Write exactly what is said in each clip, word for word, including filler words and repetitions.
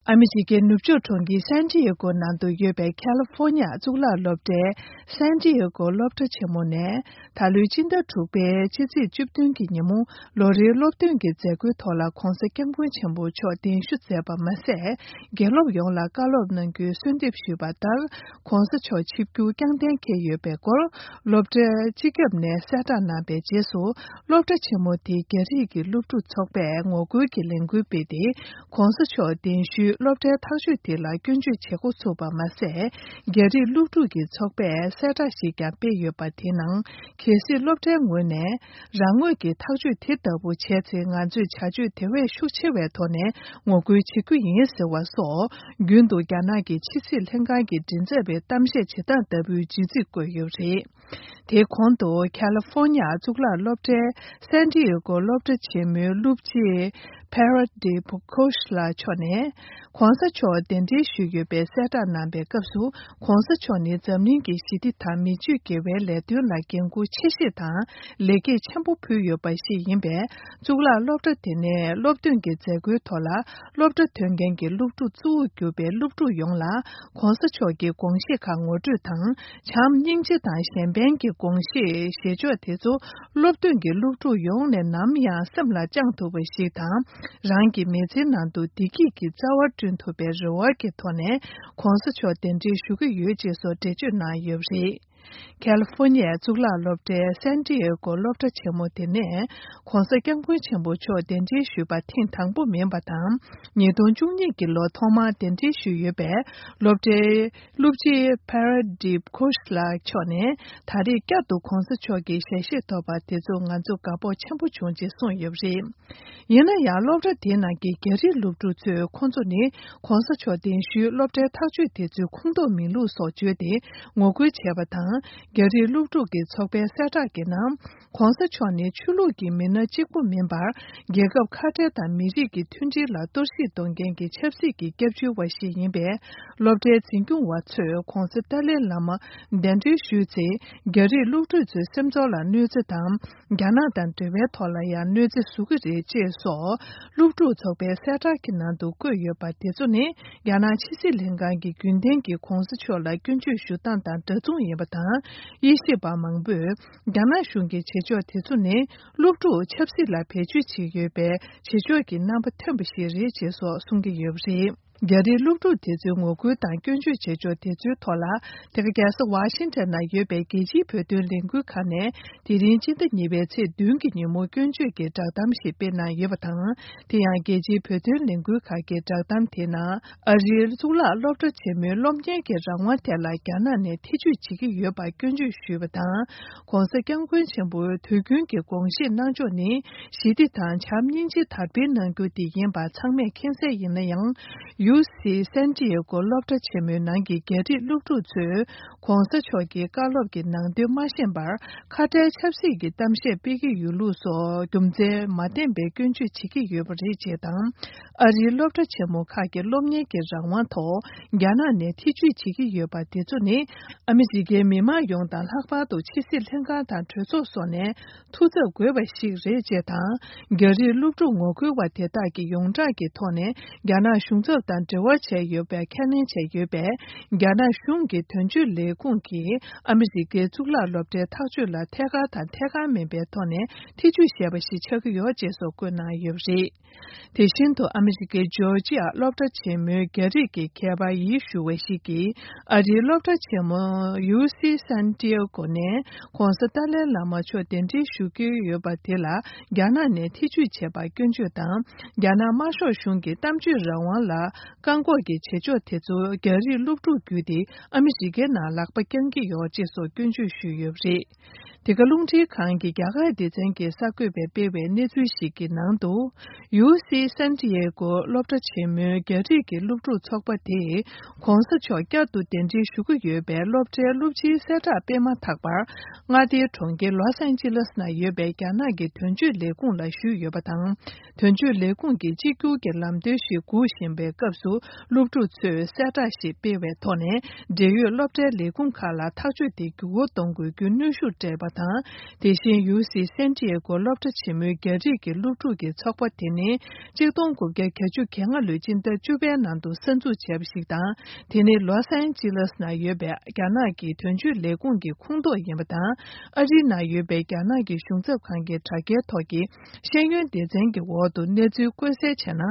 ཨ་མི་རི་ཀའི་ནུབ་ཕྱོགས་གྲོང་ཁྱེར་སན་ཏི་ཡེ་གོ་ནང་དུ་ཡོད་པའི་ཁ་ལི་ཧྥོ་ནི་ཡ་གཙུག་ལག་སློབ་གྲྭའི་སན་ཏི་ཡེ་གོ་སློབ་གྲྭ་ཆེན་མོ་ནས། ད་ལོའི་སྤྱི་ཟླ་དྲུག་པའི་ཕྱི་ཚེས་བཅུ་བདུན་གྱི་ཉིན་མོ། ལོ་རེའི་སློབ་ཐོན་གྱི་མཛད་སྒོའི་ཐོག་ལ་༧གོང་ས་༧སྐྱབས་མགོན་ཆེན་པོ་མཆོག་གདན་ཞུ་མཛད་པ་མ་ཟད། དགེ་སློབ་ཡོངས་ལ་བཀའ་སློབ་གནང་རྒྱུའི་གསོལ་འདེབས་ཞུས་པ་ལྟར། ༧གོང་ས་མཆོག་ཆིབས་བསྒྱུར་རྐྱང་གཏན་འཁེལ་ཡོད་པའི་སྐོར། སློབ་གྲྭའི་སྤྱི་ཁྱབ་ནས་གསལ་བསྒྲགས་གནང་པའི་རྗེས་སུ། སློབ་གྲྭ་ཆེན་མོ་དེའི་རྒྱ་རིགས་ཀྱི་སློབ་ཕྲུག་ཚོགས་པས་ངོ་རྒོལ་གྱི་ལས་འགུལ་སྤེལ་ཏེ། ༧གོང་ས་མཆོག་གདན་ཞུའི་སློབ་གྲྭའི་ཐག་གཅོད་དེ་ལ་སྐྱོན་བརྗོད་བྱེད་འགོ་ཚུགས་པ་མ་ཟད། རྒྱ་རིགས་སློབ་ཕྲུག་གི་ཚོགས་པས་གསལ་བསྒྲགས་ཤིག་ཀྱང་སྤེལ་ཡོད་པ་དེའི་ནང་། གལ་སྲིད་སློབ་གྲྭའི་ངོས་ནས། རང་ངོས་ཀྱི་ཐག་གཅོད་དེ་ལྟ་བུ་བྱས་ཚེ། ང་ཚོས་བྱ་སྤྱོད་དེ་བས་ཤུགས་ཆེ་བའི་ཐོག་ནས་ངོ་རྒོལ་བྱེད་རྒྱུ་ཡིན་ཟེར་བ་སོགས། རྒྱུན་དུ་རྒྱ་ནག་གི་ཕྱི་སྲིད་ལྷན་ཁང་གི་མགྲིན་ཚབ་པས་གཏམ་བཤད་བྱེད་སྟངས་ལྟ་བུའི་བརྗོད་ཚིག་བཀོད་ཡོད་པ་རེད། དེའི་གོང་དུ། ཁ་ལི་ཧྥོ་ནི་ཡ་གཙུག་ལག་སློབ་གྲྭའི་སན་ཏི་ཡེ་གོ་སློབ་གྲྭ་ཆེན་མོའི་སློབ་སྤྱི་Parad Dipkosh ལགས་མཆོག་ནས། ༸གོང་ས་མཆོག་གདན་འདྲེན་ཞུས་ཡོད་པའི་གསལ་བསྒྲགས་གནང་པའི་སྐབས་སུ། ༸གོང་ས་མཆོག་ནི་འཛམ་གླིང་གི་ཞི་བདེ་དང་མི་ཆོས་དགེ་བའི་ལས་དོན་ལ་འགན་འཁུར་ཆེ་བཞེས་དང་ལེགས་སྐྱེས་ཆེན་པོ་ཕུལ་ཡོད་པ་ཞིག་ཡིན་པས། གཙུག་ལག་སློབ་གྲྭ་དེ་ནས་སློབ་ཐོན་གྱི་མཛད་སྒོའི་ཐོག་ལ། སློབ་གྲྭ་ཐོན་མཁན་གྱི་སློབ་ཕྲུག་གཙོ་བོར་གྱུར་པའི་སློབ་ཕྲུག་ཡོངས་ལ། ༸གོང་ས་མཆོག་གི་དགོངས་གཞི་ཁག་ངོ་སྤྲོད་དང་། བྱམས་སྙིང་རྗེ་དང་གཞན་ཕན་གྱི་དགོངས་གཞི་བཞེས་ཕྱོགས་དེ་ཚོ། སློབ་ཐོན་གྱི་སློབ་ཕྲུག་ཡོངས་ནས་ནམ་ཡང་སེམས་ལ་བཅངས་ཐུབ་པ་ཞིག་དང་། རང་གི་མི་ཚེའི་ནང་དུ་བདེ་སྐྱིད་ཀྱི་རྩ་བ་བསྐྲུན་ཐུབ་པའི་རེ་བ་གི་ཐོག་ནས། ༸གོང་ས་མཆོག་གདན་འདྲེན་ཞུ་གི་ཡོད་ཅེས་སོགས་འགྲེལ་བརྗོད་གནང་ཡོད་པ་རེད། ཁ་ལི་ཧྥོ་ནི་ཡའི་གཙུག་ལག་སློབ་གྲྭའི་སན་ཏི་ཡེ་གོ་སློབ་གྲྭ་ཆེན་མོ་དེ་ནས། ༸གོང་ས་༸སྐྱབས་མགོན་ཆེན་པོ་མཆོག་གདན་འདྲེན་ཞུས་པ་ཐེངས་དང་པོ་མིན་པ་དང་། ཉིས་སྟོང་བཅུ་གཉིས་ཀྱི་ལོ་ཐོག་མར་གདན་འདྲེན་ཞུས་ཡོད་པའི་སློབ་གྲྭའི་སློབ་སྤྱི་Parad Dipkosh ལགས་མཆོག་ནས། ད་རེས་བསྐྱར་དུ་༸གོང་ས་མཆོག་གི་ཞལ་བཞེས་ཐོབ་པ་དེ་ཚོ་ང་ཚོ་དགའ་སྤོབས་ཆེན་པོ་བྱུང་ཅེས་གསུངས་ཡོད་པ་རེད། ཡིན་ན་ཡང་། སློབ་གྲྭ་དེའི་ནང་གི་རྒྱ་རིགས་སློབ་ཕྲུག་ཚོས། ཁོང་ཚོ་ནི་༸གོང་ས་མཆོག་གདན་ཞུའི་སློབ་གྲྭའི་ཐག་གཅོད་དེ་ཚོའི་ཁུངས་གཏུགས་མིན་ལུགས་སོགས་བརྗོད་དེ་ངོ་རྒོལ་བྱས་པ་དང་། རྒྱ་རིགས་སློབ་ཕྲུག་གི་ཚོགས་པའི་གསལ་བསྒྲགས་ཀྱི་ནང་། ༸གོང་ས་མཆོག་ནི་ཆོས་ལུགས་ཀྱི་མི་སྣ་གཅིག་པུ་མིན་པར། རྒྱལ་ཁབ་ཁ་བྲལ་དང་མི་རིགས་ཀྱི་མཐུན་སྒྲིལ་ལ་གཏོར་བཤིག་གཏོང་མཁན་གྱི་ཆབ་སྲིད་ཀྱི་སྐྱབས་བཅོལ་བ་ཞིག་ཡིན་པས། སློབ་གྲྭའི་འཛིན་སྐྱོང་བ་ཚོས་༸གོང་ས་ཏཱ་ལའི་བླ་མ་གདན་འདྲེན་ཞུས་ཚེ། རྒྱ་རིགས་སློབ་ཕྲུག་ཚོའི་སེམས་ཚོར་ལ་གནོད་འཚེ་དང་། རྒྱ་ནག་དང་འབྲེལ་བའི་ཐོག་ལ་ཡང་གནོད་འཚེ་བཟོ་གི་རེད་ཅེས་སོགས། སློབ་ཕྲུག་ཚོགས་པའི་གསལ་བསྒྲགས་ཀྱི་ནང་དུ་བཀོད་ཡོད་པ་དེ་ཚོ་ནི། རྒྱ་ནག་ཕྱི་སྲིད་ལྷན་ཁང་གི་རྒྱུན་ལྡན་གྱི་༸གོང་ས་མཆོག་ལ་སྐྱོན་བརྗོད་ཞུ་སྟངས་དང་འདྲ་མཚུངས་ཡིན་པ་དང་། དབྱེ་ཞིབ་པ་མང་པོས། རྒྱ་ནག་གཞུང་གི་བྱེད་ཕྱོགས་དེ་ཚོ་ནི། སློབ་ཕྲུག་ཆབ་སྲིད་ལ་བེད་སྤྱོད་བྱེད་ཡོད་པའི་བྱེད་ཕྱོགས་ཀྱི་རྣམ་པ་ཐོན་པ་ཞིག་རེད་ཅེས་སོགས་གསུང་གི་ཡོད་པ་རེད། རྒྱ་རིགས་སློབ་ཕྲུག་དེ་ཚོའི་ངོ་རྒོལ་དང་སྐྱོན་བརྗོད་བྱེད་ཕྱོགས་དེ་ཚོའི་ཐོག་ལ། དེ་ག་རྒྱལ་ས་ཝ་ཤིང་ཊོན་ན་ཡོད་པའི་རྒྱལ་སྤྱིའི་བོད་དོན་ལས་འགུལ་ཁང་ནས། དེ་རིང་སྤྱི་ཟླ་གཉིས་པའི་ཚེས་བདུན་གྱི་ཉིན་མོ་སྐྱོན་བརྗོད་ཀྱི་བསྒྲགས་གཏམ་ཞིག་སྤེལ་གནང་ཡོད་པ་དང་། དེ་ཡང་རྒྱལ་སྤྱིའི་བོད་དོན་ལས་འགུལ་ཁང་གི་བསྒྲགས་གཏམ་དེའི་ནང་། ཨ་རིའི་གཙུག་ལག་སློབ་གྲྭ་ཆེན་མོའི་སློབ་གཉེར་གྱི་རང་དབང་ཐད་ལ་རྒྱ་ནག་ནས་ཐེ་ཇུས་བྱེད་ཀྱི་ཡོད་པར་སྐྱོན་བརྗོད་ཞུས་པ་དང་། ༸གོང་ས་༸སྐྱབས་མགོན་ཆེན་པོའི་དུས་རྒྱུན་གྱི་དགོངས་བཞེས་གནང་ཕྱོགས་ནི། ཞི་བདེ་དང་བྱམས་སྙིང་རྗེ་དར་སྤེལ་གནང་རྒྱུ་དེ་ཡིན་པ་ཚང་མས་མཁྱེན་གསལ་ཡིན་ན་ཡང་། ཡུ་སི་སན་ཏི་ཡེ་གོ་སློབ་གྲྭ་ཆེན་མོའི་ནང་གི་རྒྱ་རིགས་སློབ་ཕྲུག་ཚོས། ༸གོང་ས་མཆོག་གི་བཀའ་སློབ་ཀྱི་ནང་དོན་མ་ཤེས་པར། ཁ་བྲལ་ཆབ་སྲིད་ཀྱི་གཏམ་བཤད་སྤེལ་གྱི་ཡོད་ལུགས་སོགས། རྒྱུ་མཚན་མ་ལྡན་པའི་སྐྱོན་བརྗོད་བྱེད་ཀྱི་ཡོད་པ་རེད་ཅེས་དང་། ཨ་རིའི་སློབ་གྲྭ་ཆེན་མོ་ཁག་གི་སློབ་གཉེར་གྱི་རང་དབང་ཐོག་རྒྱ་ནག་ནས་ཐེ་ཇུས་བྱེད་ཀྱི་ཡོད་པ་དེ་ཚོ་ནི། ཨ་མི་རི་ཀའི་མི་མང་ཡོངས་དང་། ལྷག་པར་དུ་ཕྱི་སྲིད་ལྷན་ཁང་དང་གྲོས་ཚོགས་སོགས་ནས། ཐུགས་འཚབ་དགོས་པ་ཞིག་རེད་ཅེས་དང་། རྒྱ་རིགས་སློབ་ཕྲུག་ངོ་རྒོལ་བ་དེ་དག་གིས་ཡོངས་གྲགས་ཀྱི་ཐོག་ནས་རྒྱ་ནག་གཞུང་ཚབ་དང་འབྲེལ་བ་བྱས་ཡོད་པའི་ཁས་ལེན་བྱས་ཡོད་པས། རྒྱ་ནག་གཞུང་གི་དོན་གཅོད་ལས་ཁུངས་ཀྱིས་ཨ་མི་རི་ཀའི་གཙུག་ལག་སློབ་གྲྭའི་ཐག་གཅོད་ལ་ཐད་ཀར་དང་ཐད་ཀར་མིན་པའི་ཐོག་ནས་ཐེ་ཇུས་བྱས་པ་ཞིག་ཆགས་ཀྱི་ཡོད་ཅེས་སོགས་བཀོད་གནང་ཡོད་པ་རེད། དེ་བཞིན་དུ་ཨ་མི་རི་ཀའི་ཇོར་ཇི་ཡ་སློབ་གྲྭ་ཆེན་མོའི་རྒྱ་རིགས་ཀྱི་མཁས་པ་ཡིད་ཞུ་བ་ཞིག་གིས། ཨ་རིའི་སློབ་གྲྭ་ཆེན་མོ་ཡུ་སི་སན་ཏི་ཡེ་གོ་ནས་༸གོང་ས་ཏཱ་ལའི་བླ་མ་མཆོག་གདན་འདྲེན་ཞུ་གི་ཡོད་པ་དེ་ལ་རྒྱ་ནག་ནས་ཐེ་ཇུས་བྱས་པར་སྐྱོན་བརྗོད་དང་། རྒྱ་ནག་དམར་ཤོག་གཞུང་གི་གཏམ་བརྗོད་རང་དབང་ལ་བཀག་འགོག་གི་བྱེད་ཕྱོགས་དེ་ཚོ་རྒྱ་རིགས་སློབ་ཕྲུག་བརྒྱུད་དེ་ཨ་མི་རི་ཀའི་ནང་ལག་པ་བརྐྱང་གི་ཡོད་ཅེས་སོགས་སྐྱོན་བརྗོད་ཞུས་ཡོད་པ་རེད། འདི་ག་རླུང་འཕྲིན་ཁང་གི་རྒྱ་གར་སྡེ་ཚན་གྱི་གསར་འགོད་པས་སྤེལ་བའི་གནས་ཚུལ་ཞིག་གི་ནང་དུ། ཡུ་སི་སན་ཏི་ཡེ་གོ་སློབ་གྲྭ་ཆེན་མོའི་རྒྱ་རིགས་ཀྱི་སློབ་ཕྲུག་ཚོགས་པ་དེས། ༸གོང་ས་མཆོག་བསྐྱར་དུ་གདན་འདྲེན་ཞུ་གི་ཡོད་པའི་སློབ་གྲྭའི་སློབ་སྤྱིའི་གསལ་བསྒྲགས་སྤེལ་མ་ཐག་པར། མངའ་སྡེའི་གྲོང་ཁྱེར་ལོས་ཨན་ཇི་ལེས་ན་ཡོད་པའི་རྒྱ་ནག་གི་དོན་གཅོད་ལས་ཁུངས་ལ་ཞུས་ཡོད་པ་དང་། དོན་གཅོད་ལས་ཁུངས་ཀྱིས་གཅིག་གྱུར་གྱི་ལམ་སྟོན་ཞིག་སྒུག་བཞིན་པའི་སྐབས་སུ། སློབ་ཕྲུག་ཚོས་གསལ་བསྒྲགས་ཤིག་སྤེལ་བའི་ཐོག་ནས། འབྲེལ་ཡོད་སློབ་གྲྭའི་ལས་ཁུངས་ཁག་ལ་ཐག་གཅོད་དེ་འགྱུར་བ་གཏོང་དགོས་རྒྱུའི་གནོན་ཤུགས་སྤྲད་པ་ དང་། དེ་བཞིན་ཡུ་སི་སན་ཏི་ཡེ་གོ་སློབ་གྲྭ་ཆེན་མོའི་རྒྱ་རིགས་ཀྱི་སློབ་ཕྲུག་ཀྱི་ཚོགས་པ་དེ་ནི་གཅིག་སྟོང་དགུ་བརྒྱ་གྱ་བཅུ་གྱ་ལྔ་ལོའི་སྤྱི་ཟླ་བཅུ་པའི་ནང་དུ་གསར་འཛུགས་བྱས་པ་ཞིག་དང་། དེ་ནི་ལོ་སན་ཇི་ལེས་ནང་ཡོད་པའི་རྒྱ་ནག་གི་དོན་གཅོད་ལས་ཁུངས་ཀྱི་ཁོངས་གཏོགས་ཡིན་པ་དང་། ཨ་རིའི་ནང་ཡོད་པའི་རྒྱ་ནག་གི་གཞུང་ཚབ་ཁང་གི་དྲ་རྒྱའི་ཐོག་གི་ཤེས་ཡོན་སྡེ་ཚན་གྱི་འོག་ཏུ་གནས་ཚུལ་བཀོད་གསལ་བྱས་ན།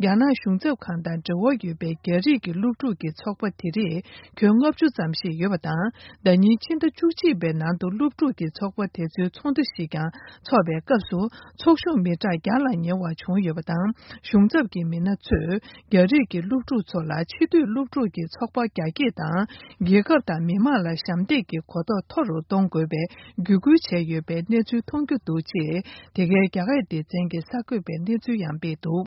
རྒྱ་ནག་གཞུང་ཚབ་ཁང་དང་འབྲེལ་བ་ཡོད་པའི་རྒྱ་རིགས་ཀྱི་སློབ་ཕྲུག་གི་ཚོགས་པ་དེ་རིགས་ཁྱོན་ལྔ་བཅུ་ཙམ་ཞིག་ཡོད་པ་དང་། ཟླ་ཉིན་ཕྱི་ཟླ་བཅུ་གཅིག་པའི་ནང་དུ་སློབ་ཕྲུག་གི་ཚོགས་པ་དེ་ཚོའི་ཚོགས་འདུ་ཞིག་ཀྱང་འཚོགས་པའི་སྐབས་སུ། ཚོགས་ཞུགས་མི་གྲངས་བརྒྱ་ལ་ཉེ་བ་བྱུང་ཡོད་པ་དང་། གཞུང་ཚབ་ཀྱི་མི་སྣ་ཚོས་རྒྱ་རིགས་ཀྱི་སློབ་ཕྲུག་ཚོ་ལ་ཕྱི་སྡོད་སློབ་ཕྲུག་གི་ཚོགས་པ་རྒྱ་སྐྱེད་དང་། རྒྱལ་ཁབ་དང་མི་དམངས་ལ་ཞབས་འདེགས་ཀྱི་གོ་རྟོགས་མཐོ་རུ་གཏོང་དགོས་པའི་བརྒྱུད་སྐུལ་བྱས་ཡོད་པའི་གནས་ཚུལ་མཐོང་རྒྱུ་འདུག་ཅེས། དེ་གའི་རྒྱ་སྐད་སྡེ་ཚན་གྱི་གསར་འགོད་པས་གནས་ཚུལ་ཡང་སྤེལ་འདུག།